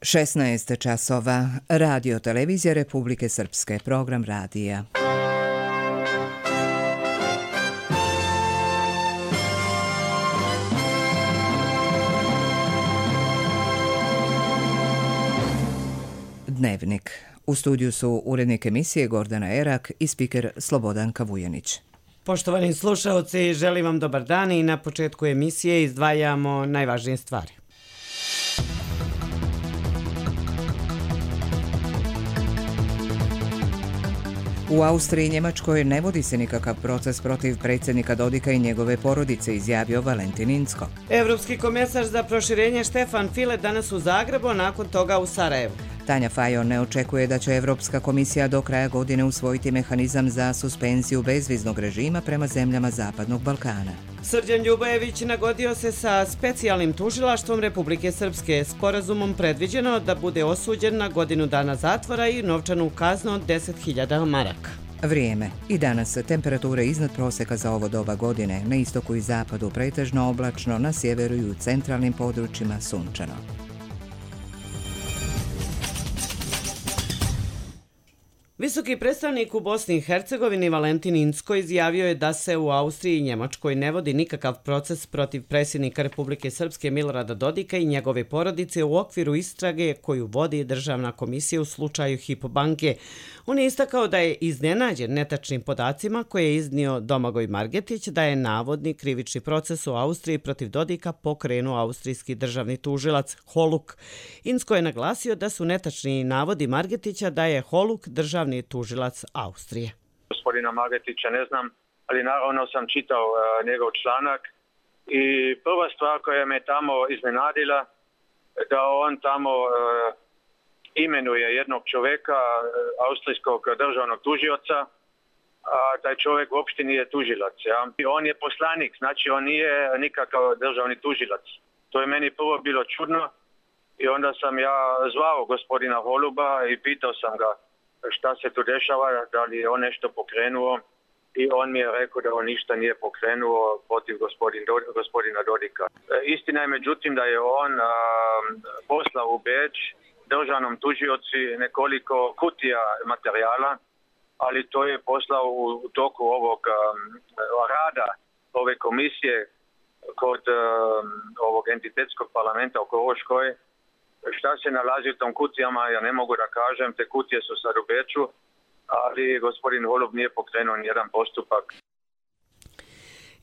16 časova. Radio televizija Republike Srpske. Program radija. Dnevnik. U studiju su urednik emisije Gordana Erak i spiker Slobodanka Vujanić. Poštovani slušaoci, želim vam dobar dan i na početku emisije izdvajamo najvažnije stvari. U Austriji i Njemačkoj ne vodi se nikakav proces protiv predsjednika Dodika i njegove porodice, izjavio Valentin Incko. Evropski komesar za proširenje Štefan File danas u Zagrebu, a nakon toga u Sarajevu. Tanja Fajon ne očekuje da će Evropska komisija do kraja godine usvojiti mehanizam za suspenziju bezviznog režima prema zemljama Zapadnog Balkana. Srđan Ljubojević nagodio se sa specijalnim tužilaštvom Republike Srpske. Sporazumom predviđeno da bude osuđen na godinu dana zatvora i novčanu kaznu od 10.000 maraka. Vrijeme. I danas temperature iznad proseka za ovo doba godine. Na istoku i zapadu pretežno oblačno, na sjeveru i u centralnim područjima sunčano. Visoki predstavnik u Bosni i Hercegovini Valentin Incko izjavio je da se u Austriji i Njemačkoj ne vodi nikakav proces protiv predsjednika Republike Srpske Milorada Dodika i njegove porodice u okviru istrage koju vodi Državna komisija u slučaju Hypo banke. On je istakao da je iznenađen netačnim podacima koje je iznio Domagoj Margetić da je navodni krivični proces u Austriji protiv Dodika pokrenuo austrijski državni tužilac Holuk. Incko je naglasio da su netačni navodi Margetića da je Holuk državni tužilac Austrije. Gospodina Margetića ne znam, ali naravno sam čitao njegov članak i prva stvar koja me tamo iznenadila da on tamo imenuje jednog čovjeka, austrijskog državnog tužioca, a taj čovjek uopšte nije tužilac. Ja? I on je poslanik, znači on nije nikakav državni tužilac. To je meni prvo bilo čudno i onda sam ja zvao gospodina Holuba i pitao sam ga šta se tu dešava, da li je on nešto pokrenuo i on mi je rekao da on ništa nije pokrenuo protiv gospodina Dodika. Istina je međutim da je on poslao u Beč državnom tužioci nekoliko kutija materijala, ali to je poslao u toku ovog rada ove komisije kod ovog entitetskog parlamenta u Koroškoj. Šta se nalazi u tom kutijama, ja ne mogu da kažem, te kutije su sad u Beču, ali gospodin Holub nije pokrenuo nijedan postupak.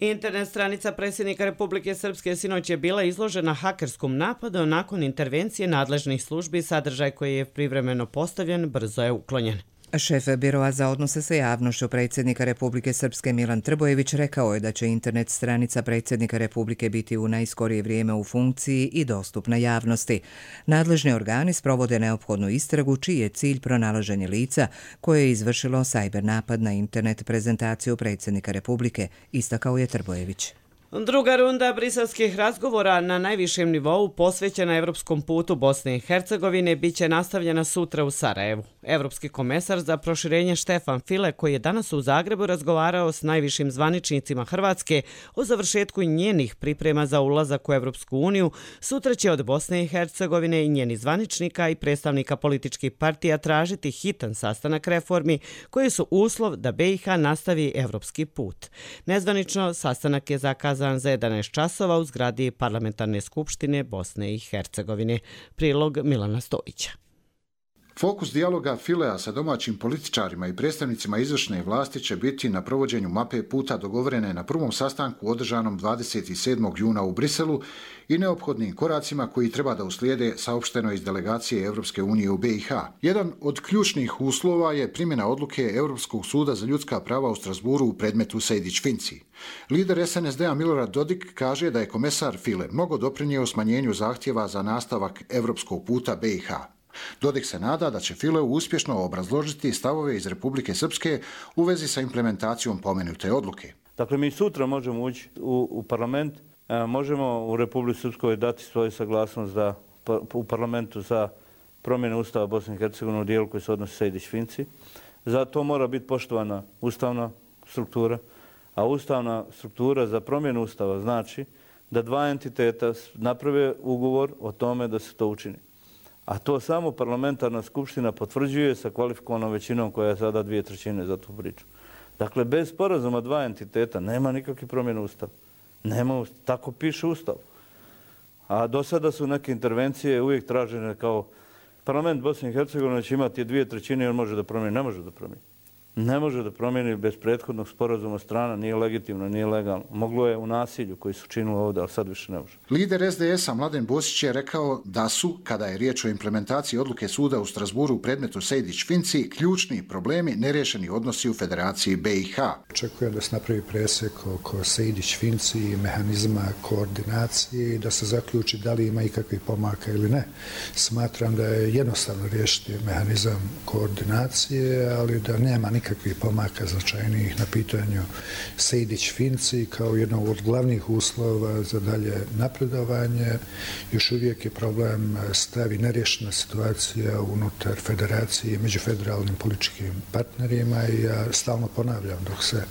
Internet stranica predsjednika Republike Srpske sinoć je bila izložena hakerskom napadu. Nakon intervencije nadležnih službi sadržaj koji je privremeno postavljen brzo je uklonjen. Šef Biroa za odnose sa javnošću predsjednika Republike Srpske Milan Trbojević rekao je da će internet stranica predsjednika Republike biti u najskorije vrijeme u funkciji i dostupna javnosti. Nadležni organi sprovode neophodnu istragu čiji je cilj pronalaženje lica koje je izvršilo sajber napad na internet prezentaciju predsjednika Republike, istakao je Trbojević. Druga runda briselskih razgovora na najvišem nivou posvećena evropskom putu Bosne i Hercegovine biće nastavljena sutra u Sarajevu. Evropski komesar za proširenje Štefan File, koji je danas u Zagrebu razgovarao s najvišim zvaničnicima Hrvatske o završetku njenih priprema za ulazak u Evropsku uniju, sutra će od Bosne i Hercegovine i njenih zvaničnika i predstavnika političkih partija tražiti hitan sastanak reformi koji su uslov da BiH nastavi evropski put. Nezvanično sastanak je zakazan za 11 časova u zgradi Parlamentarne skupštine Bosne i Hercegovine. Prilog Milana Stojića. Fokus dijaloga Filea sa domaćim političarima i predstavnicima izvršne vlasti će biti na provođenju mape puta dogovorene na prvom sastanku održanom 27. juna u Briselu i neophodnim koracima koji treba da uslijede, saopšteno iz delegacije Evropske unije u BiH. Jedan od ključnih uslova je primjena odluke Europskog suda za ljudska prava u Strasburu u predmetu Sejdić-Finci. Lider SNSD-a Milorad Dodik kaže da je komesar File mnogo doprinio smanjenju zahtjeva za nastavak evropskog puta BiH. Dodik se nada da će File uspješno obrazložiti stavove iz Republike Srpske u vezi sa implementacijom pomenute odluke. Dakle, mi sutra možemo ući u parlament, možemo u Republici Srpskoj dati svoju saglasnost u parlamentu za promjenu Ustava Bosne i Hercegovine u dijelu koji se odnosi Sejdić-Finci. Za to mora biti poštovana ustavna struktura, a ustavna struktura za promjenu Ustava znači da dva entiteta naprave ugovor o tome da se to učini. A to samo parlamentarna skupština potvrđuje sa kvalifikovanom većinom koja je sada 2/3 za tu priču. Dakle, bez sporazuma dva entiteta nema nikakve promjene Ustava. Tako piše Ustav. A do sada su neke intervencije uvijek tražene kao parlament Bosne i Hercegovine će imati 2/3 i on može da promijeni. Ne može da promijeni. Ne može da promijeni bez prethodnog sporazuma strana, nije legitimno, nije legalno. Moglo je u nasilju koji su činili ovdje, ali sad više ne može. Lider SDS-a Mladen Bosić je rekao da su, kada je riječ o implementaciji odluke suda u Strasburu u predmetu Sejdić-Finci, ključni problemi neriješeni odnosi u Federaciji BiH. Očekujem da se napravi presek oko Sejdić-Finci i mehanizma koordinacije i da se zaključi da li ima ikakvih pomaka ili ne. Smatram da je jednostavno riješiti mehanizam koordinacije, ali da nema nikakvih pomaka značajnijih na pitanju Sejdić-Finci kao jednog od glavnih uslova za dalje napredovanje. Još uvijek je problem stavi neriješena situacija unutar federacije i među federalnim političkim partnerima i ja stalno ponavljam, dok se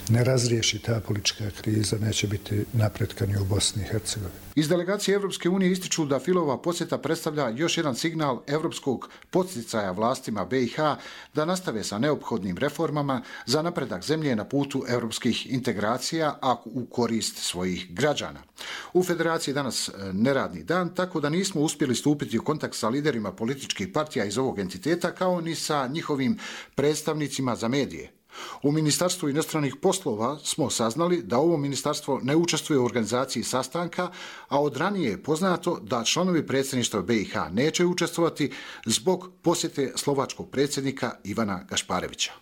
ne razriješi ta politička kriza, neće biti napretka ni u Bosni i Hercegovini. Iz delegacije Evropske unije ističu da Filova posjeta predstavlja još jedan signal evropskog podsticaja vlastima BiH da nastave sa neophodnim reformama za napredak zemlje na putu evropskih integracija, a u korist svojih građana. U Federaciji danas neradni dan, tako da nismo uspjeli stupiti u kontakt sa liderima političkih partija iz ovog entiteta, kao ni sa njihovim predstavnicima za medije. U Ministarstvu inostranih poslova smo saznali da ovo ministarstvo ne učestvuje u organizaciji sastanka, a od ranije je poznato da članovi predsjedništva BiH neće učestvovati zbog posjete slovačkog predsjednika Ivana Gašparevića.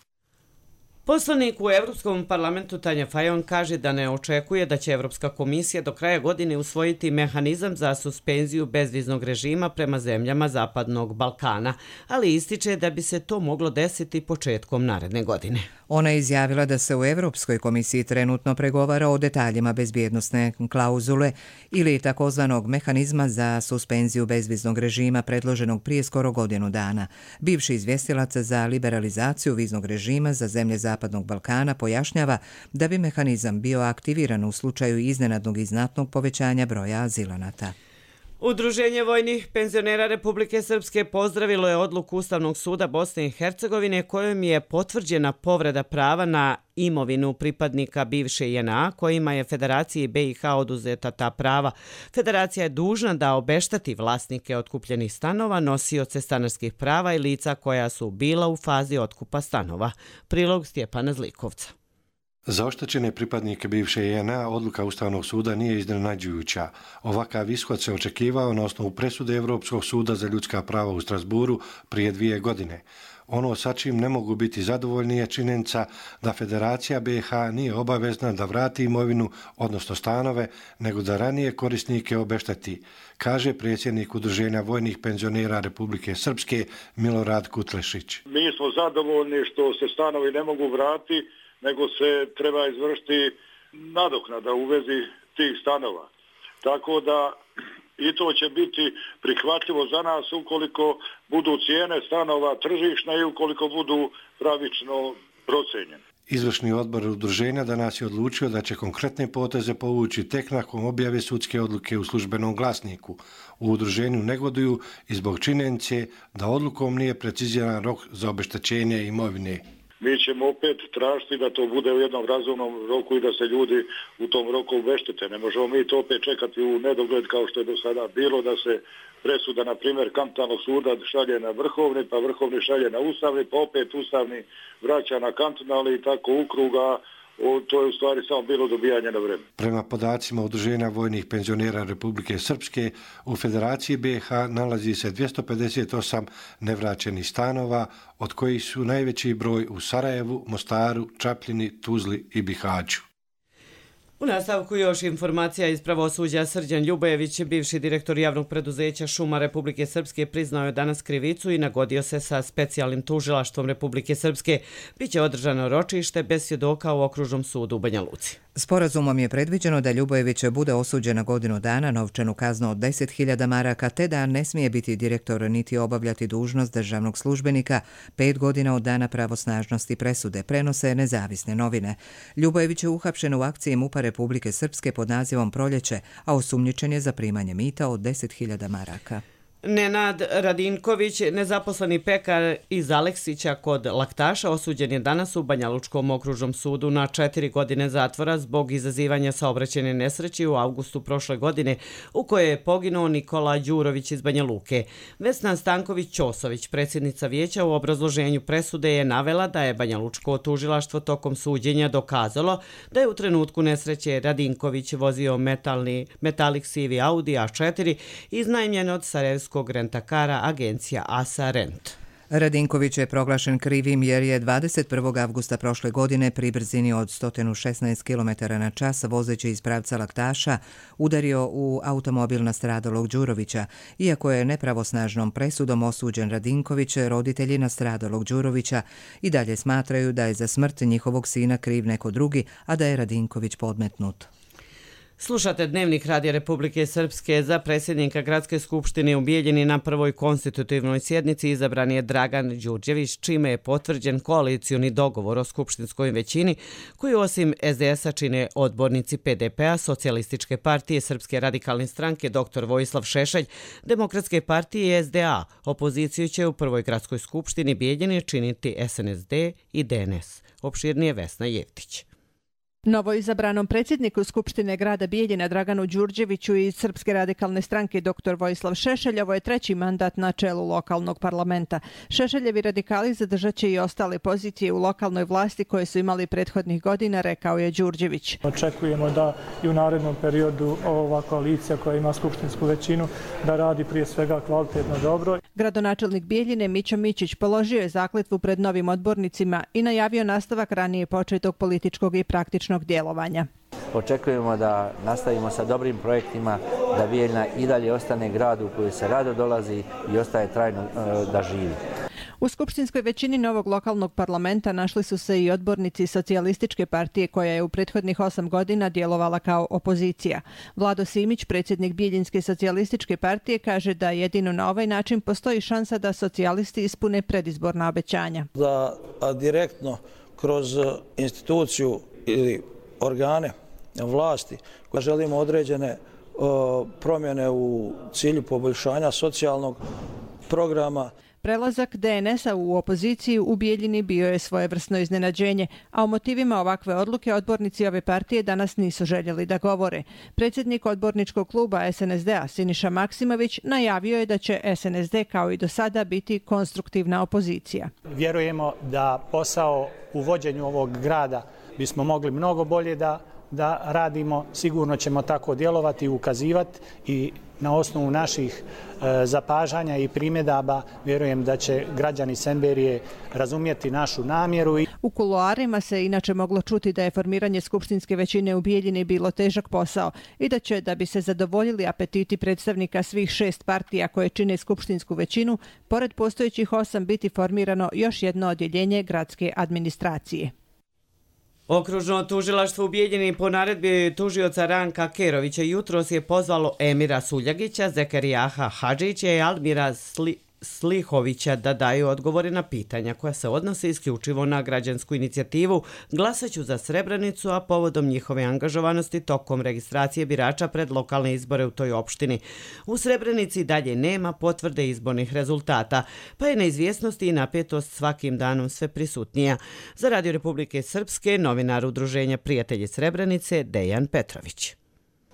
Poslanik u Evropskom parlamentu Tanja Fajon kaže da ne očekuje da će Evropska komisija do kraja godine usvojiti mehanizam za suspenziju bezviznog režima prema zemljama Zapadnog Balkana, ali ističe da bi se to moglo desiti početkom naredne godine. Ona je izjavila da se u Evropskoj komisiji trenutno pregovara o detaljima bezbjednosne klauzule ili takozvanog mehanizma za suspenziju bezviznog režima predloženog prije skoro godinu dana. Bivši izvjestilac za liberalizaciju viznog režima za zemlje Zapadnog Balkana pojašnjava da bi mehanizam bio aktiviran u slučaju iznenadnog i znatnog povećanja broja azilanata. Udruženje vojnih penzionera Republike Srpske pozdravilo je odluku Ustavnog suda Bosne i Hercegovine kojom je potvrđena povreda prava na imovinu pripadnika bivše JNA kojima je Federaciji BiH oduzeta ta prava. Federacija je dužna da obešteti vlasnike otkupljenih stanova, nosioce stanarskih prava i lica koja su bila u fazi otkupa stanova. Prilog Stjepana Zlikovca. Za oštećene pripadnike bivše JNA odluka Ustavnog suda nije iznenađujuća. Ovakav ishod se očekivao na osnovu presude Europskog suda za ljudska prava u Strasburu prije 2 godine. Ono sa čim ne mogu biti zadovoljni je činjenica da Federacija BiH nije obavezna da vrati imovinu, odnosno stanove, nego da ranije korisnike obešteti, kaže predsjednik Udruženja vojnih penzionera Republike Srpske Milorad Kutlešić. Mi smo zadovoljni što se stanovi ne mogu vratiti, nego se treba izvršiti nadoknada u vezi tih stanova. Tako da i to će biti prihvatljivo za nas ukoliko budu cijene stanova tržišne i ukoliko budu pravično procenjene. Izvršni odbor udruženja danas je odlučio da će konkretne poteze povući tek nakon objave sudske odluke u službenom glasniku. U udruženju negoduju i zbog činjenice da odlukom nije preciziran rok za obeštećenje imovine. Mi ćemo opet tražiti da to bude u jednom razumnom roku i da se ljudi u tom roku obeštete. Ne možemo mi to opet čekati u nedogled kao što je do sada bilo, da se presuda, na primjer, kantonalnog suda šalje na vrhovni, pa vrhovni šalje na ustavni, pa opet ustavni vraća na kantonalni i tako u kruga. To je u stvari samo bilo dobijanje na vreme. Prema podacima Udruženja vojnih penzionera Republike Srpske, u Federaciji BiH nalazi se 258 nevraćenih stanova, od kojih su najveći broj u Sarajevu, Mostaru, Čapljini, Tuzli i Bihaću. U nastavku još informacija iz pravosuđa. Srđan Ljubojević, bivši direktor javnog preduzeća Šuma Republike Srpske, priznao je danas krivicu i nagodio se sa specijalnim tužilaštvom Republike Srpske. Biće održano ročište bez svjedoka u okružnom sudu u Banja Luci. Sporazumom je predviđeno da Ljubojević bude osuđen na godinu dana, novčanu kaznu od 10.000 maraka, te da ne smije biti direktor niti obavljati dužnost državnog službenika 5 godina od dana pravosnažnosti presude, prenose nezavisne novine. Ljubojević je uhapšen u akciji MUP-a Republike Srpske pod nazivom Proljeće, a osumnjičen je za primanje mita od 10.000 maraka. Nenad Radinković, nezaposleni pekar iz Aleksića kod Laktaša, osuđen je danas u Banjalučkom okružnom sudu na 4 godine zatvora zbog izazivanja saobraćajne nesreće u avgustu prošle godine u kojoj je poginuo Nikola Đurović iz Banja Luke. Vesna Stanković-Ćosović, predsjednica vijeća, u obrazloženju presude je navela da je Banjalučko tužilaštvo tokom suđenja dokazalo da je u trenutku nesreće Radinković vozio metalik sivi Audi A4 iznajmljen od sarajevskog rentakara agencija ASA Rent. Radinković je proglašen krivim jer je 21. avgusta prošle godine pri brzini od 116 km/h vozeći iz pravca Laktaša udario u automobil nastradalog Đurovića. Iako je nepravosnažnom presudom osuđen Radinković, roditelji nastradalog Đurovića i dalje smatraju da je za smrt njihovog sina kriv neko drugi, a da je Radinković podmetnut. Slušate Dnevnik Radija Republike Srpske. Za predsjednika Gradske skupštine u Bijeljini na prvoj konstitutivnoj sjednici izabran je Dragan Đurđević, čime je potvrđen koalicioni dogovor o skupštinskoj većini, koji osim SDS-a čine odbornici PDP-a, Socijalističke partije, Srpske radikalne stranke, dr. Vojislav Šešelj, Demokratske partije i SDA. Opoziciju će u prvoj Gradskoj skupštini Bijeljine činiti SNSD i DNS. Opširnije Vesna Jevtić. Novoizabranom predsjedniku Skupštine grada Bijeljina Draganu Đurđeviću iz Srpske radikalne stranke dr. Vojislav Šešelj ovo je 3. mandat na čelu lokalnog parlamenta. Šešeljevi radikali zadržat će i ostale pozicije u lokalnoj vlasti koje su imali prethodnih godina, rekao je Đurđević. Očekujemo da i u narednom periodu ova koalicija koja ima skupštinsku većinu da radi prije svega kvalitetno dobro. Gradonačelnik Bijeljine Mićo Mićić položio je zakletvu pred novim odbornicima i najavio nastavak ranije početog političkog i praktičnog djelovanja. Očekujemo da nastavimo sa dobrim projektima, da Bijeljina i dalje ostane grad u koji se rado dolazi i ostaje trajno da živi. U skupštinskoj većini novog lokalnog parlamenta našli su se i odbornici Socijalističke partije koja je u prethodnih 8 godina djelovala kao opozicija. Vlado Simić, predsjednik Bijeljinske socijalističke partije, kaže da jedino na ovaj način postoji šansa da socijalisti ispune predizborna obećanja. Da direktno kroz instituciju ili organe vlasti koja želimo određene promjene u cilju poboljšanja socijalnog programa. Prelazak DNS-a u opoziciju u Bijeljini bio je svojevrsno iznenađenje, a o motivima ovakve odluke odbornici ove partije danas nisu željeli da govore. Predsjednik odborničkog kluba SNSD-a Siniša Maksimović najavio je da će SNSD kao i do sada biti konstruktivna opozicija. Vjerujemo da posao u vođenju ovog grada bismo mogli mnogo bolje da radimo. Sigurno ćemo tako djelovati i ukazivati i na osnovu naših zapažanja i primjedaba vjerujem da će građani Semberije razumjeti našu namjeru. U kuloarima se inače moglo čuti da je formiranje skupštinske većine u Bijeljini bilo težak posao i da će, da bi se zadovoljili apetiti predstavnika svih 6 partija koje čine skupštinsku većinu, pored postojećih 8 biti formirano još jedno odjeljenje gradske administracije. Okružno tužilaštvo u Bijeljini po naredbi tužioca Ranka Kerovića jutros je pozvalo Emira Suljagića, Zekerijaha Hadžića i Almira Slihovića da daju odgovore na pitanja koja se odnose isključivo na građansku inicijativu Glasaću za Srebrenicu, a povodom njihove angažovanosti tokom registracije birača pred lokalne izbore u toj opštini. U Srebrenici dalje nema potvrde izbornih rezultata, pa je neizvjesnost i napetost svakim danom sve prisutnija. Za Radio Republike Srpske, novinar Udruženja Prijatelji Srebrenice Dejan Petrović.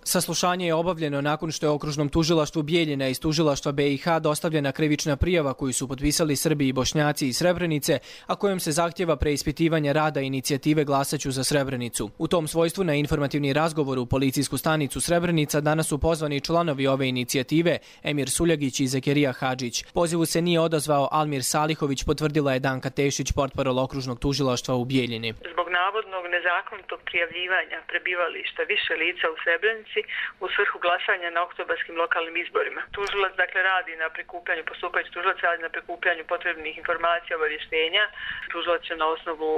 Saslušanje je obavljeno nakon što je okružnom tužilaštvu Bijeljina iz tužilaštva BiH dostavljena krivična prijava koju su potpisali Srbi i Bošnjaci iz Srebrenice, a kojom se zahtjeva preispitivanje rada inicijative Glasaću za Srebrenicu. U tom svojstvu na informativni razgovor u policijsku stanicu Srebrenica danas su pozvani članovi ove inicijative Emir Suljagić i Zekerija Hadžić. Pozivu se nije odazvao Almir Salihović, potvrdila je Danka Tešić, portparol okružnog tužilaštva u Bijeljini. Zbog navodnog nezakonitog prijavljivanja prebivališta više lica u Srebrenici u svrhu glasanja na oktobarskim lokalnim izborima. Tužilac radi na prikupljanju, postupajući tužilac radi na prikupljanju potrebnih informacija, obavještenja. Tužilac će na osnovu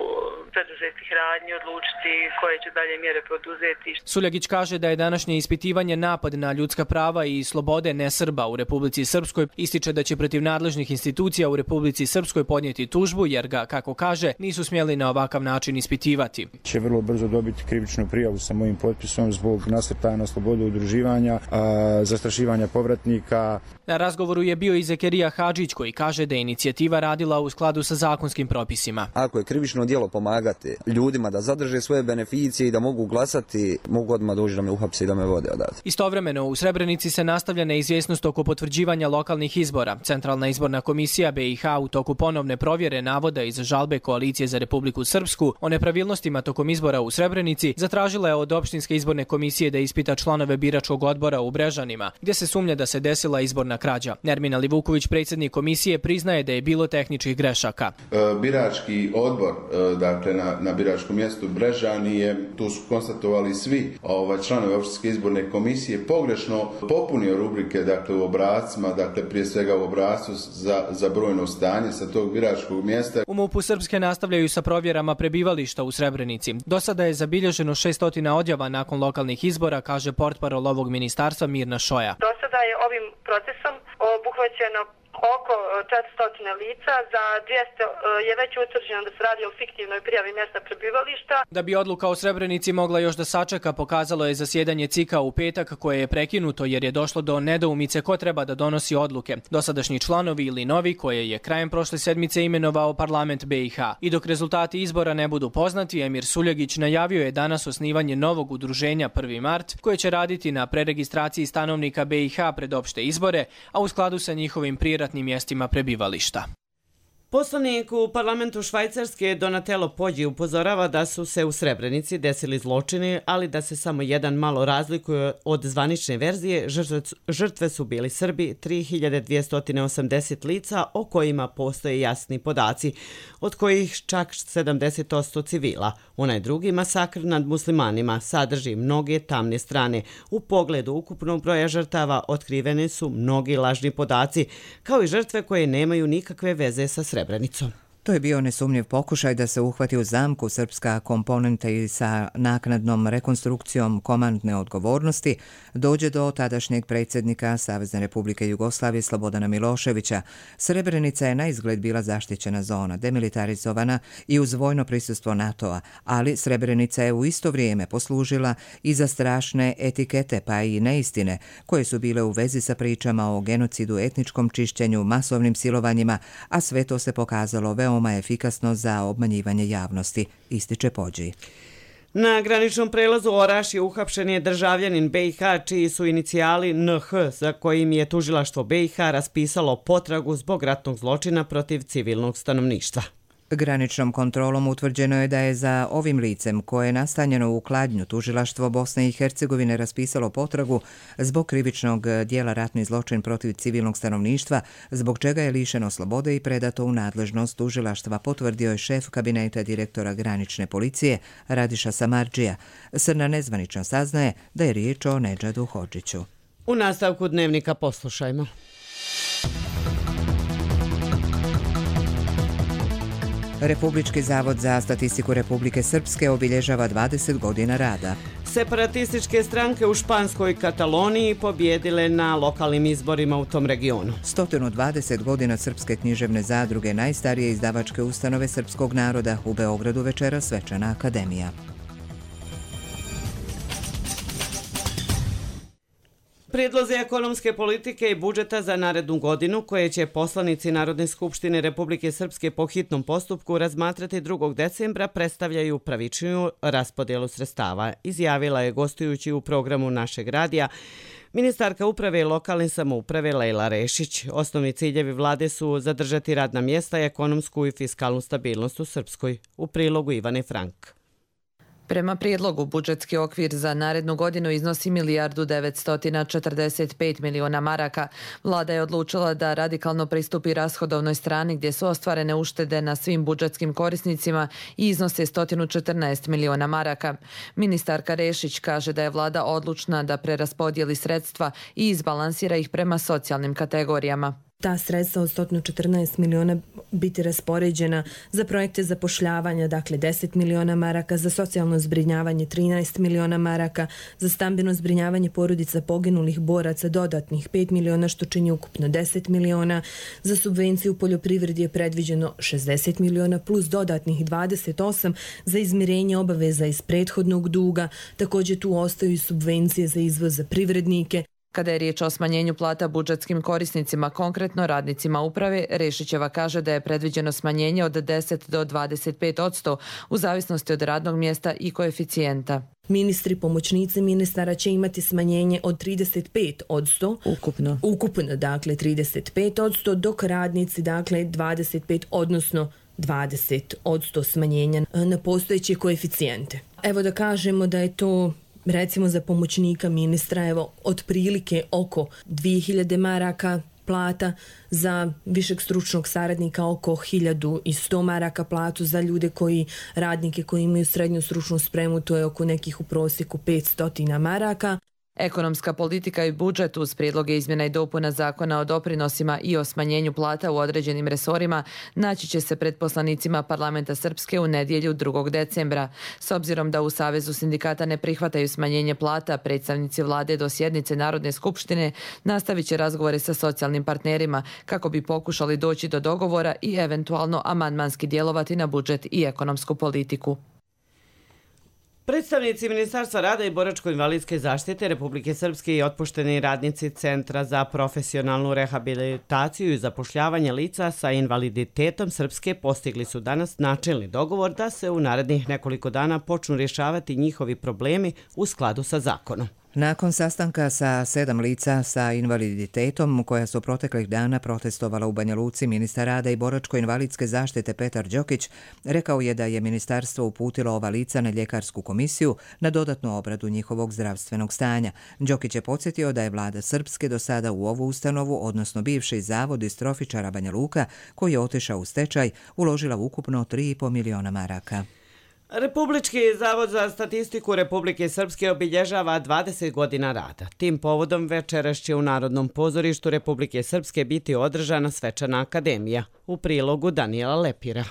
preduzetih radnji odlučiti koje će dalje mjere poduzeti. Suljagić kaže da je današnje ispitivanje napad na ljudska prava i slobode nesrba u Republici Srpskoj. Ističe da će protiv nadležnih institucija u Republici Srpskoj podnijeti tužbu jer ga, kako kaže, nisu smjeli na ovakav način ispitivati. preispitivati. Će vrlo brzo dobiti krivičnu prijavu sa mojim potpisom zbog nasrtaja na slobodu udruživanja, zastrašivanja povratnika. Na razgovoru je bio i Zekerija Hadžić koji kaže da je inicijativa radila u skladu sa zakonskim propisima. Ako je krivično djelo pomagati ljudima da zadrže svoje beneficije i da mogu glasati, mogu odmah doći da me uhapse i da me vode odavde. Istovremeno u Srebrenici se nastavlja neizvjesnost oko potvrđivanja lokalnih izbora. Centralna izborna komisija BiH u toku ponovne provjere navoda iz žalbe Koalicije za Republiku Srpsku o nepravilnostima tokom izbora u Srebrenici zatražila je od opštinske izborne komisije da ispita članove biračkog odbora u Brežanima, gdje se sumnja da se desila izborna krađa. Nermin Alivuković, predsjednik komisije, priznaje da je bilo tehničkih grešaka. Birački odbor, dakle na biračkom mjestu Brežani tu su konstatovali svi članovi opštinske izborne komisije pogrešno popunio rubrike u obrascima, prije svega u obrascu za brojno stanje sa tog biračkog mjesta. U MUP-u Srpske nastavljaju sa provjerama prebivališta u Srebrenici. Do sada je zabilježeno 600 odjava nakon lokalnih izbora, kaže portparol ovog ministarstva Mirna Šoja. Do sada je ovim procesom obuhvaćeno oko 400 lica, za 200 je već utvrđeno da se radi o fiktivnoj prijavi mjesta prebivališta. Da bi odluka o Srebrenici mogla još da sačeka, pokazalo je zasjedanje CIK-a u petak koje je prekinuto jer je došlo do nedoumice ko treba da donosi odluke. Dosadašnji članovi ili novi koje je krajem prošle sedmice imenovao parlament BiH. I dok rezultati izbora ne budu poznati, Emir Suljegić najavio je danas osnivanje novog udruženja 1. mart koje će raditi na preregistraciji stanovnika BiH pred opšte izbore, a u skladu sa njihovim prijeratnim mjestima prebivališta. Poslanik u parlamentu Švajcarske Donatello Poggi upozorava da su se u Srebrenici desili zločini, ali da se samo jedan malo razlikuje od zvanične verzije. Žrtve su bili Srbi, 3280 lica o kojima postoje jasni podaci, od kojih čak 70% civila. Onaj drugi masakr nad muslimanima sadrži mnoge tamne strane. U pogledu ukupnog broja žrtava otkrivene su mnogi lažni podaci, kao i žrtve koje nemaju nikakve veze sa Srebrenicom. To je bio nesumnjiv pokušaj da se uhvati u zamku srpska komponenta i sa naknadnom rekonstrukcijom komandne odgovornosti dođe do tadašnjeg predsjednika Savezne Republike Jugoslavije Slobodana Miloševića. Srebrenica je na izgled bila zaštićena zona, demilitarizovana i uz vojno prisustvo NATO-a, ali Srebrenica je u isto vrijeme poslužila i za strašne etikete pa i neistine koje su bile u vezi sa pričama o genocidu, etničkom čišćenju, masovnim silovanjima, a sve to se pokazalo veoma efikasno za obmanjivanje javnosti, ističe Poggi. Na graničnom prelazu Orašje uhapšen je državljanin BiH čiji su inicijali NH, za kojim je tužilaštvo BiH raspisalo potragu zbog ratnog zločina protiv civilnog stanovništva. Graničnom kontrolom utvrđeno je da je za ovim licem koje je nastanjeno u Kladnju tužilaštvo Bosne i Hercegovine raspisalo potragu zbog krivičnog dijela ratni zločin protiv civilnog stanovništva, zbog čega je lišeno slobode i predato u nadležnost tužilaštva, potvrdio je šef kabineta direktora granične policije Radiša Samardžija. Srna nezvanično saznaje da je riječ o Nedžadu Hodžiću. U nastavku dnevnika poslušajmo. Republički zavod za statistiku Republike Srpske obilježava 20 godina rada. Separatističke stranke u španskoj Kataloniji pobjedile na lokalnim izborima u tom regionu. 120 godina Srpske književne zadruge, najstarije izdavačke ustanove srpskog naroda, u Beogradu večera svečana akademija. Prijedlozi ekonomske politike i budžeta za narednu godinu, koje će poslanici Narodne skupštine Republike Srpske po hitnom postupku razmatrati 2. decembra, predstavljaju pravičniju raspodjelu sredstava, izjavila je gostujući u programu našeg radija ministarka uprave i lokalne samouprave Lejla Rešić. Osnovni ciljevi vlade su zadržati radna mjesta i ekonomsku i fiskalnu stabilnost u Srpskoj. U prilogu Ivane Frank. Prema prijedlogu, budžetski okvir za narednu godinu iznosi 1.945 miliona maraka. Vlada je odlučila da radikalno pristupi rashodovnoj strani gdje su ostvarene uštede na svim budžetskim korisnicima i iznose 114 miliona maraka. Ministarka Rešić kaže da je vlada odlučna da preraspodijeli sredstva i izbalansira ih prema socijalnim kategorijama. ta sredstva od 114 miliona biti raspoređena za projekte zapošljavanja, dakle 10 miliona maraka, za socijalno zbrinjavanje 13 miliona maraka, za stambeno zbrinjavanje porodica poginulih boraca dodatnih 5 miliona, što čini ukupno 10 miliona, za subvenciju u poljoprivredi je predviđeno 60 miliona plus dodatnih 28 za izmirenje obaveza iz prethodnog duga, također tu ostaju i subvencije za izvoz za privrednike. Kada je riječ o smanjenju plata budžetskim korisnicima, konkretno radnicima uprave, Rešićeva kaže da je predviđeno smanjenje od 10 do 25% u zavisnosti od radnog mjesta i koeficijenta. Ministri, pomoćnici ministara će imati smanjenje od 35%. Ukupno, dakle 35%, dok radnici, dakle 25%, odnosno 20% smanjenja na postojeće koeficijente. Evo da kažemo da je to recimo za pomoćnika ministra otprilike oko 2000 maraka plata, za višeg stručnog saradnika oko 1100 maraka platu, za ljude radnike koji imaju srednju stručnu spremu to je oko nekih u prosjeku 500 maraka. Ekonomska politika i budžet uz prijedloge izmjena i dopuna zakona o doprinosima i o smanjenju plata u određenim resorima naći će se pred poslanicima parlamenta Srpske u nedjelju 2. decembra. S obzirom da u Savezu sindikata ne prihvataju smanjenje plata, predstavnici vlade do sjednice Narodne skupštine nastavit će razgovore sa socijalnim partnerima kako bi pokušali doći do dogovora i eventualno amandmanski djelovati na budžet i ekonomsku politiku. Predstavnici Ministarstva rada i boračko-invalidske zaštite Republike Srpske i otpušteni radnici Centra za profesionalnu rehabilitaciju i zapošljavanje lica sa invaliditetom Srpske postigli su danas načelni dogovor da se u narednih nekoliko dana počnu rješavati njihovi problemi u skladu sa zakonom. Nakon sastanka sa 7 lica sa invaliditetom koja su proteklih dana protestovala u Banja Luci, ministar rada i boračko-invalidske zaštite Petar Đokić rekao je da je ministarstvo uputilo ova lica na ljekarsku komisiju na dodatnu obradu njihovog zdravstvenog stanja. Đokić je podsjetio da je vlada Srpske do sada u ovu ustanovu, odnosno bivši zavod distrofičara Banja Luka, koji je otišao u stečaj, uložila ukupno 3,5 miliona maraka. Republički zavod za statistiku Republike Srpske obilježava 20 godina rada. Tim povodom večeras će u Narodnom pozorištu Republike Srpske biti održana svečana akademija. U prilogu Danijela Lepira.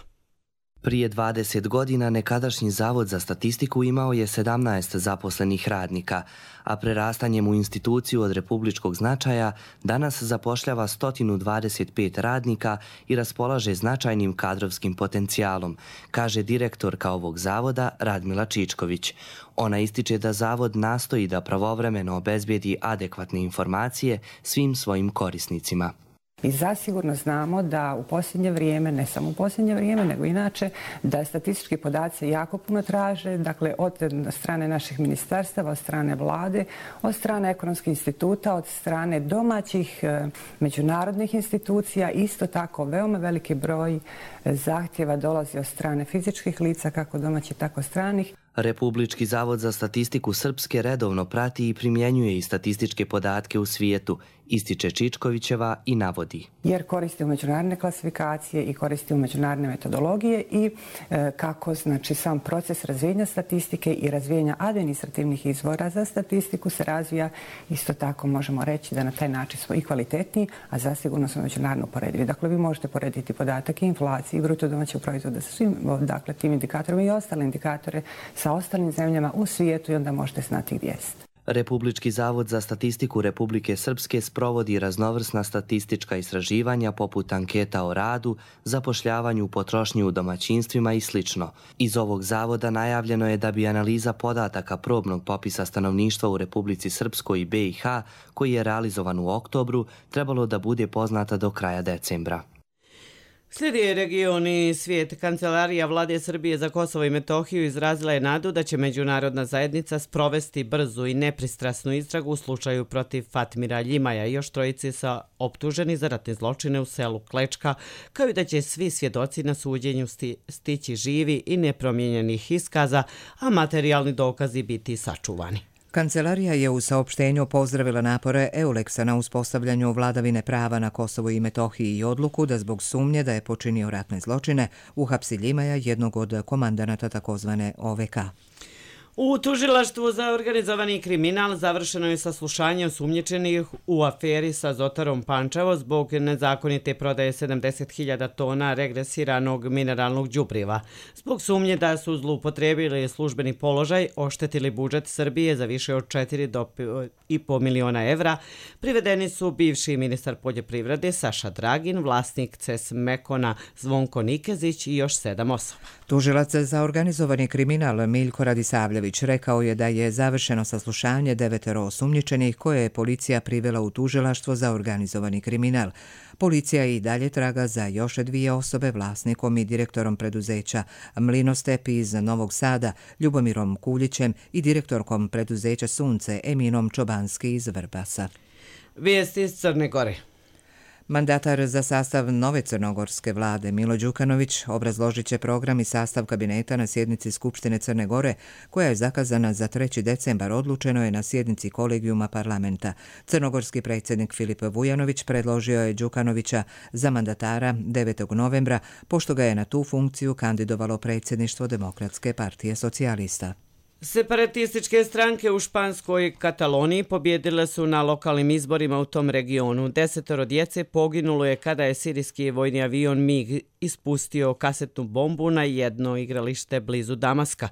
Prije 20 godina nekadašnji Zavod za statistiku imao je 17 zaposlenih radnika, a prerastanjem u instituciju od republičkog značaja danas zapošljava 125 radnika i raspolaže značajnim kadrovskim potencijalom, kaže direktorka ovog zavoda Radmila Čičković. Ona ističe da zavod nastoji da pravovremeno obezbijedi adekvatne informacije svim svojim korisnicima. I zasigurno znamo da u posljednje vrijeme, ne samo u posljednje vrijeme, nego inače, da statistički podaci jako puno traže, dakle od strane naših ministarstava, od strane vlade, od strane ekonomskih instituta, od strane domaćih međunarodnih institucija. Isto tako, veoma veliki broj zahtjeva dolazi od strane fizičkih lica, kako domaćih, tako stranih. Republički zavod za statistiku Srpske redovno prati i primjenjuje i statističke podatke u svijetu, ističe Čičkovićeva i navodi. Jer koristimo međunarodne klasifikacije i koristimo međunarodne metodologije i kako znači sam proces razvijenja statistike i razvijenja administrativnih izvora za statistiku se razvija, isto tako možemo reći da na taj način smo i kvalitetniji, a zasigurno smo međunarodno poredivi. Dakle, vi možete porediti podatak i inflaciji i bruto domaćeg proizvoda sa svim tim indikatorima i ostale indikatore sa ostalim zemljama u svijetu i onda možete znati gdje jeste. Republički zavod za statistiku Republike Srpske sprovodi raznovrsna statistička istraživanja poput anketa o radu, zapošljavanju, potrošnji u domaćinstvima i sl. Iz ovog zavoda najavljeno je da bi analiza podataka probnog popisa stanovništva u Republici Srpskoj i BiH, koji je realizovan u oktobru, trebalo da bude poznata do kraja decembra. Slijedi region i svijet. Kancelarija vlade Srbije za Kosovo i Metohiju izrazila je nadu da će međunarodna zajednica sprovesti brzu i nepristrasnu istragu u slučaju protiv Fatmira Ljimaja i još trojice sa optuženi za ratne zločine u selu Klečka, kao i da će svi svjedoci na suđenju stići živi i nepromijenjenih iskaza, a materijalni dokazi biti sačuvani. Kancelarija je u saopštenju pozdravila napore EULEX-a na uspostavljanju vladavine prava na Kosovo i Metohiji i odluku da zbog sumnje da je počinio ratne zločine uhapsi Ljimaja, jednog od komandanata takozvane OVK. U tužilaštvu za organizovani kriminal završeno je saslušanje osumnjičenih u aferi sa Azotarom Pančevo zbog nezakonite prodaje 70.000 tona regresiranog mineralnog đubriva. Zbog sumnje da su zloupotrebili službeni položaj, oštetili budžet Srbije za više od 4 do 5,5 miliona evra, privedeni su bivši ministar poljoprivrede Saša Dragin, vlasnik CES Mekona Zvonko Nikezić i još 7 osoba. Tužilac za organizovani kriminal Miljko Radisavljević rekao je da je završeno saslušanje 9 osumnjičenih koje je policija privela u tužilaštvo za organizovani kriminal. Policija i dalje traga za još 2 osobe, vlasnikom i direktorom preduzeća Mlinostep iz Novog Sada, Ljubomirom Kuljićem i direktorkom preduzeća Sunce Eminom Čobanski iz Vrbasa. Vijesti iz Crne Gore. Mandatar za sastav nove crnogorske vlade Milo Đukanović obrazložit će program i sastav kabineta na sjednici Skupštine Crne Gore, koja je zakazana za 3. decembar, odlučeno je na sjednici kolegijuma parlamenta. Crnogorski predsjednik Filip Vujanović predložio je Đukanovića za mandatara 9. novembra, pošto ga je na tu funkciju kandidovalo predsjedništvo Demokratske partije socijalista. Separatističke stranke u španskoj Kataloniji pobjedile su na lokalnim izborima u tom regionu. 10 djece poginulo je kada je sirijski vojni avion MiG ispustio kasetnu bombu na jedno igralište blizu Damaska.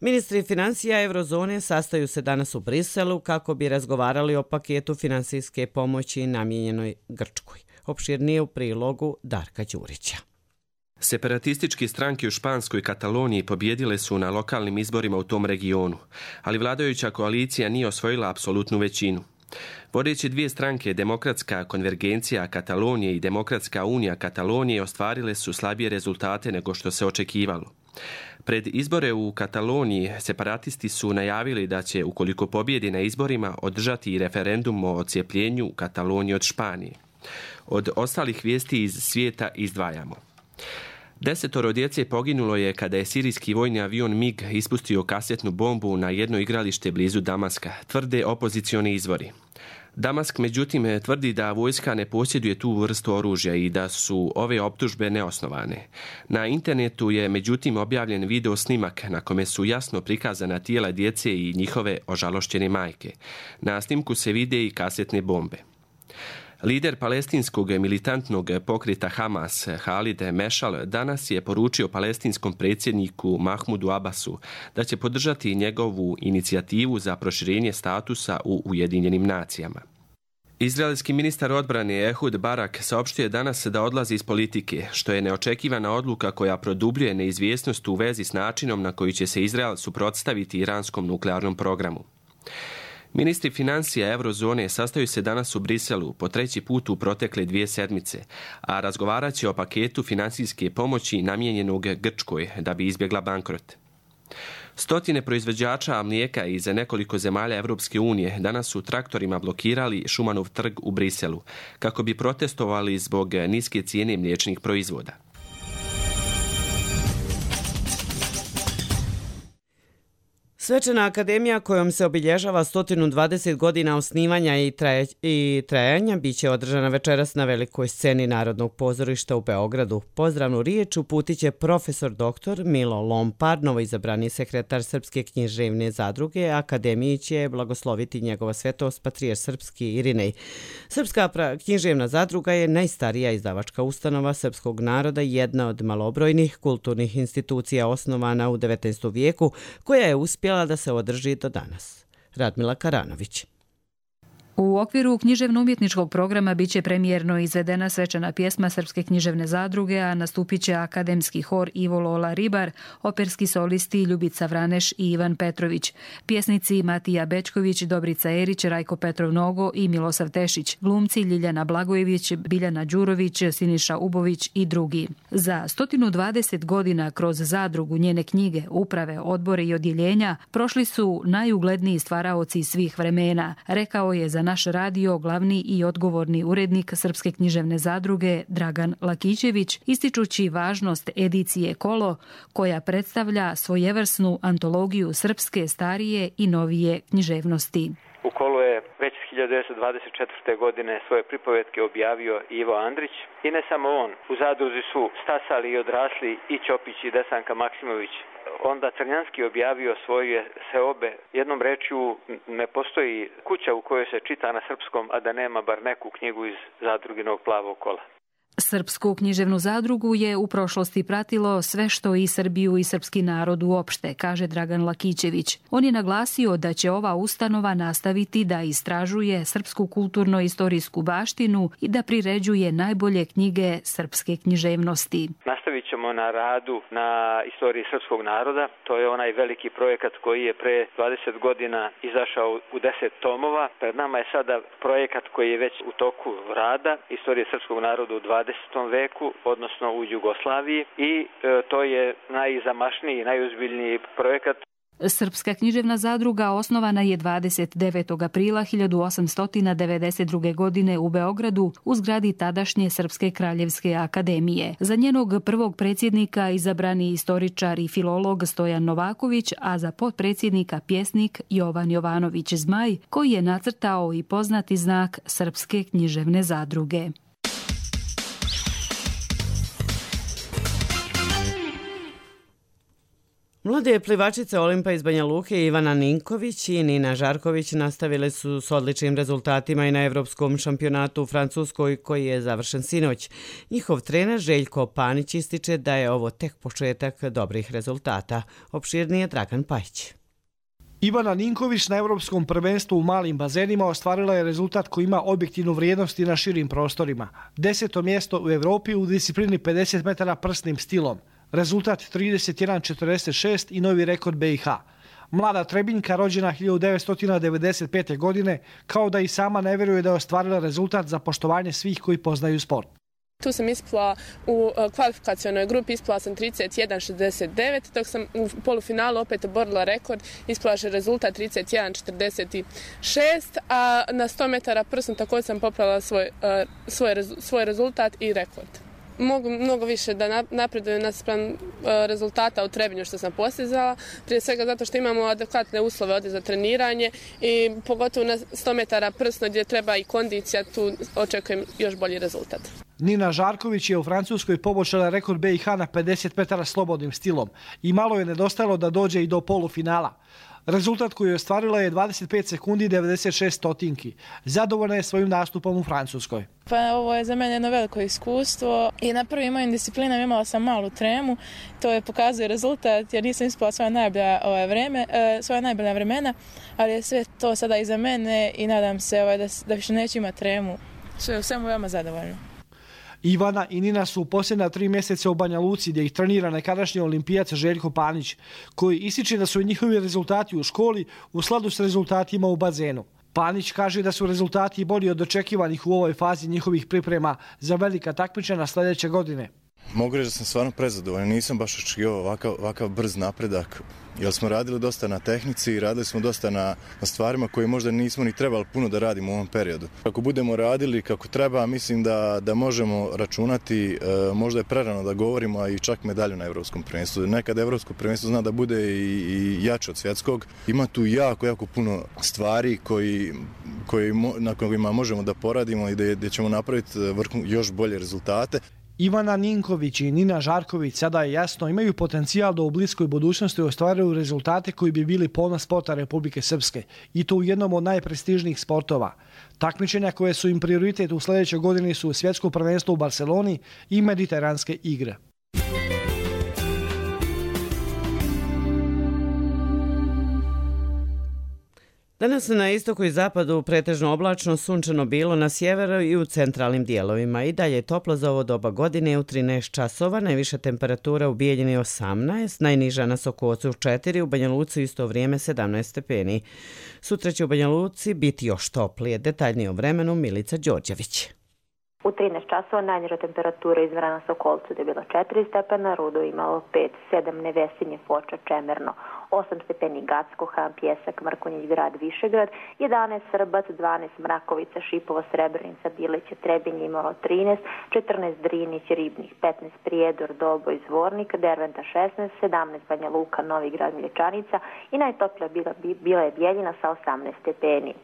Ministri financija Eurozone sastaju se danas u Briselu kako bi razgovarali o paketu finansijske pomoći namijenjenoj Grčkoj. Opširnije u prilogu Darka Đurića. Separatističke stranke u španskoj Kataloniji pobjedile su na lokalnim izborima u tom regionu, ali vladajuća koalicija nije osvojila apsolutnu većinu. Vodeće 2 stranke, Demokratska konvergencija Katalonije i Demokratska unija Katalonije, ostvarile su slabije rezultate nego što se očekivalo. Pred izbore u Kataloniji separatisti su najavili da će, ukoliko pobjedi na izborima, održati i referendum o odcijepljenju Katalonije od Španije. Od ostalih vijesti iz svijeta izdvajamo. 10 djece poginulo je kada je sirijski vojni avion MiG ispustio kasetnu bombu na jedno igralište blizu Damaska, tvrde opozicioni izvori. Damask međutim tvrdi da vojska ne posjeduje tu vrstu oružja i da su ove optužbe neosnovane. Na internetu je međutim objavljen video snimak na kome su jasno prikazana tijela djece i njihove ožalošćene majke. Na snimku se vide i kasetne bombe. Lider palestinskog militantnog pokreta Hamas, Halid Mešal, danas je poručio palestinskom predsjedniku Mahmudu Abbasu da će podržati njegovu inicijativu za proširenje statusa u Ujedinjenim nacijama. Izraelski ministar odbrane Ehud Barak saopštio je danas da odlazi iz politike, što je neočekivana odluka koja produbljuje neizvjesnost u vezi s načinom na koji će se Izrael suprotstaviti iranskom nuklearnom programu. Ministri financija Eurozone sastaju se danas u Briselu po 3. put u protekle 2 sedmice, a razgovarat će o paketu finansijske pomoći namijenjenog Grčkoj da bi izbjegla bankrot. Stotine proizvođača mlijeka iz nekoliko zemalja Evropske unije danas su traktorima blokirali Šumanov trg u Briselu kako bi protestovali zbog niske cijene mliječnih proizvoda. Svečana akademija kojom se obilježava 120 godina osnivanja i trajanja biće održana večeras na velikoj sceni Narodnog pozorišta u Beogradu. Pozdravnu riječ uputit će profesor dr. Milo Lompar, novoizabrani sekretar Srpske književne zadruge. Akademiji će blagosloviti njegova svetost patrijarh srpski Irinej. Srpska književna zadruga je najstarija izdavačka ustanova srpskog naroda i jedna od malobrojnih kulturnih institucija osnovana u 19. vijeku koja je uspjela da se održi do danas. Radmila Karanović. U okviru književno-umjetničkog programa biće premijerno izvedena svečana pjesma Srpske književne zadruge, a nastupit će akademski hor Ivo Lola Ribar, operski solisti Ljubica Vraneš i Ivan Petrović, pjesnici Matija Bečković, Dobrica Erić, Rajko Petrov Nogo i Milosav Tešić, glumci Ljiljana Blagojević, Biljana Đurović, Siniša Ubović i drugi. Za 120 godina kroz zadrugu, njene knjige, uprave, odbore i odjeljenja prošli su najugledniji stvaraoci svih vremena, rekao je za naš radio glavni i odgovorni urednik Srpske književne zadruge Dragan Lakićević, ističući važnost edicije Kolo, koja predstavlja svojevrsnu antologiju srpske starije i novije književnosti. U Kolu je već 1924. godine svoje pripovetke objavio Ivo Andrić i ne samo on. U zadruzi su stasali i odrasli i Ćopić i Desanka Maksimović. onda Crnjanski objavio svoje seobe. Jednom rečju, ne postoji kuća u kojoj se čita na srpskom, a da nema bar neku knjigu iz zadruginog Plavog kola. Srpsku književnu zadrugu je u prošlosti pratilo sve što i Srbiju i srpski narod uopšte, kaže Dragan Lakićević. On je naglasio da će ova ustanova nastaviti da istražuje srpsku kulturno-istorijsku baštinu i da priređuje najbolje knjige srpske književnosti. Nastavit ćemo na radu na istoriji srpskog naroda. To je onaj veliki projekat koji je pre 20 godina izašao u 10 tomova. Pred nama je sada projekat koji je već u toku rada, istorije srpskog naroda u 20. veku, odnosno u Jugoslaviji, i to je najzamašniji, najuzbiljniji projekat. Srpska književna zadruga osnovana je 29. aprila 1892. godine u Beogradu u zgradi tadašnje Srpske kraljevske akademije. Za njenog prvog predsjednika izabrani istoričar i filolog Stojan Novaković, a za potpredsjednika pjesnik Jovan Jovanović Zmaj, koji je nacrtao i poznati znak Srpske književne zadruge. Mlade plivačice Olimpa iz Banja Luke Ivana Ninković i Nina Žarković nastavile su s odličnim rezultatima i na Evropskom šampionatu u Francuskoj koji je završen sinoć. Njihov trener Željko Panić ističe da je ovo tek početak dobrih rezultata. Opširnije Dragan Pajić. Ivana Ninković na Evropskom prvenstvu u malim bazenima ostvarila je rezultat koji ima objektivnu vrijednost i na širim prostorima. 10. mjesto u Evropi u disciplini 50 metara prsnim stilom. Rezultat 31:46 i novi rekord BiH. Mlada Trebinjka, rođena 1995. godine, kao da i sama ne vjeruje da je ostvarila rezultat za poštovanje svih koji poznaju sport. Tu sam ispala u kvalifikacionoj grupi, ispala sam 31:69, dok sam u polufinalu opet oborila rekord, ispala je rezultat 31:46, a na 100 metara prsnom također sam popravila svoj rezultat i rekord. Mogu mnogo više da napredujem naspram rezultata u Trebinju što sam postizala, prije svega zato što imamo adekvatne uslove ovdje za treniranje i pogotovo na 100 metara prsno gdje treba i kondicija, tu očekujem još bolji rezultat. Nina Žarković je u Francuskoj poboljšala rekord BiH na 50 metara slobodnim stilom i malo je nedostajalo da dođe i do polufinala. Rezultat koji je ostvarila je 25 sekundi i 96 stotinki. Zadovoljna je svojim nastupom u Francuskoj. Pa ovo je za mene jedno veliko iskustvo i na prvim mojim disciplinama imala sam malu tremu. To je pokazuje rezultat jer nisam ispala svoja najbolja vremena, ali je sve to sada iza mene i nadam se da više neću imati tremu. Sve u svemu veoma zadovoljno. Ivana i Nina su u posljednja 3 mjeseca u Banja Luci gdje ih trenira nekadašnji olimpijac Željko Panić, koji ističe da su njihovi rezultati u školi u skladu s rezultatima u bazenu. Panić kaže da su rezultati bolji od očekivanih u ovoj fazi njihovih priprema za velika takmičenja sljedeće godine. Mogu reći da sam stvarno prezadovoljan, nisam baš očekivao ovakav brz napredak, jer smo radili dosta na tehnici i radili smo dosta na stvarima koje možda nismo ni trebali puno da radimo u ovom periodu. Ako budemo radili kako treba, mislim da možemo računati, možda je prerano da govorimo, a i čak medalju na Evropskom prvenstvu. Nekad Evropsko prvenstvo zna da bude i jače od svjetskog. Ima tu jako puno stvari na kojima možemo da poradimo i gdje ćemo napraviti još bolje rezultate. Ivana Ninković i Nina Žarković, sada je jasno, imaju potencijal da u bliskoj budućnosti ostvaruju rezultate koji bi bili ponos sporta Republike Srpske i to u jednom od najprestižnijih sportova. Takmičenja koje su im prioritet u sljedećoj godini su svjetsko prvenstvo u Barceloni i mediteranske igre. Danas na istoku i zapadu pretežno oblačno, sunčano bilo na sjeveru i u centralnim dijelovima. I dalje je toplo za ovo doba godine u 13 časova, najviša temperatura u Bijeljini 18, najniža na Sokocu 4, u Banja Luci isto vrijeme 17 stepeni. Sutra će u Banja Luci biti još toplije. Detaljnije o vremenu Milica Đorđević. U 13 časova najniža temperatura izmjera na Sokolcu da je bilo 4 stepena, Rudo imalo 5, 7 Nevesinje, Foča, Čemerno, 8 stepeni Gacko, Han, Pjesak, Mrkonjić grad, Višegrad, 11 Srbac, 12 Mrakovica, Šipovo, Srebrenica, Bileće, Trebinje imalo 13, 14 Drinić, Ribnik, 15 Prijedor, Doboj, Zvornik, Derventa 16, 17 Banja Luka, Novi grad, Mlječanica i najtoplija bila je Bijeljina sa 18 stepeni.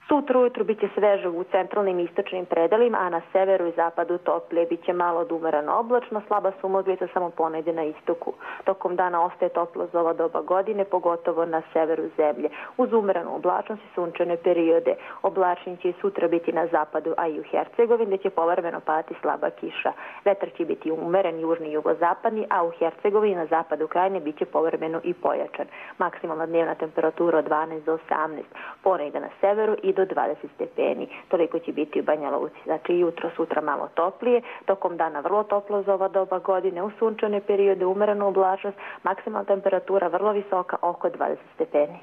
Sutra ujutru biće sveže u centralnim i istočnim predelima, a na severu i zapadu toplije. Biće malo od umereno oblačno, slaba sumoglica samo ponegdje na istoku. Tokom dana ostaje toplo za ova doba godine, pogotovo na severu zemlje. Uz umerenu oblačnost i sunčane periode. Oblačni će i sutra biti na zapadu, a i u Hercegovini, gdje će povremeno padati slaba kiša. Vetar će biti umeren, južni i jugozapadni, a u Hercegovini na zapadu krajine bit će povremeno i pojačan. Maksimalna dnevna temperatura od 12 do 18. Ponegdje na severu i do 20 stepeni. Toliko će biti u Banja Luci. Znači jutro, sutra malo toplije, tokom dana vrlo toplo za ova doba godine, u sunčane periode umerenu oblačnost, maksimalna temperatura vrlo visoka, oko 20 stepeni.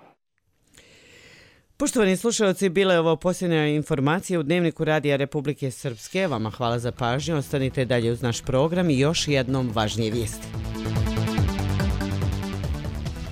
Poštovani slušalci, bile je ovo posljednja informacija u Dnevniku Radija Republike Srpske. Vama hvala za pažnju, ostanite dalje uz naš program i još jednom važnije vijesti.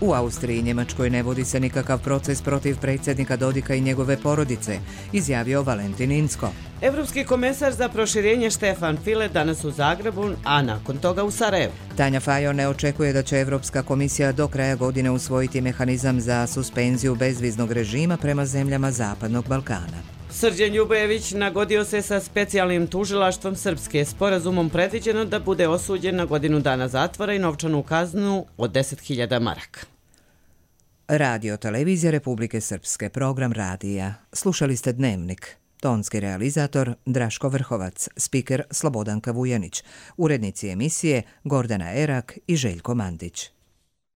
U Austriji i Njemačkoj ne vodi se nikakav proces protiv predsjednika Dodika i njegove porodice, izjavio Valentin Inzko. Evropski komesar za proširenje Štefan File danas u Zagrebu, a nakon toga u Sarajevu. Tanja Fajon ne očekuje da će Evropska komisija do kraja godine usvojiti mehanizam za suspenziju bezviznog režima prema zemljama Zapadnog Balkana. Srđan Ljubojević nagodio se sa specijalnim tužilaštvom Srpske, sporazumom predviđeno da bude osuđen na godinu dana zatvora i novčanu kaznu od 10.000 maraka. Radio Televizija Republike Srpske, program radija. Slušali ste Dnevnik. Tonski realizator Draško Vrhovac, spiker Slobodanka Vujanić, urednici emisije Gordana Erak i Željko Mandić.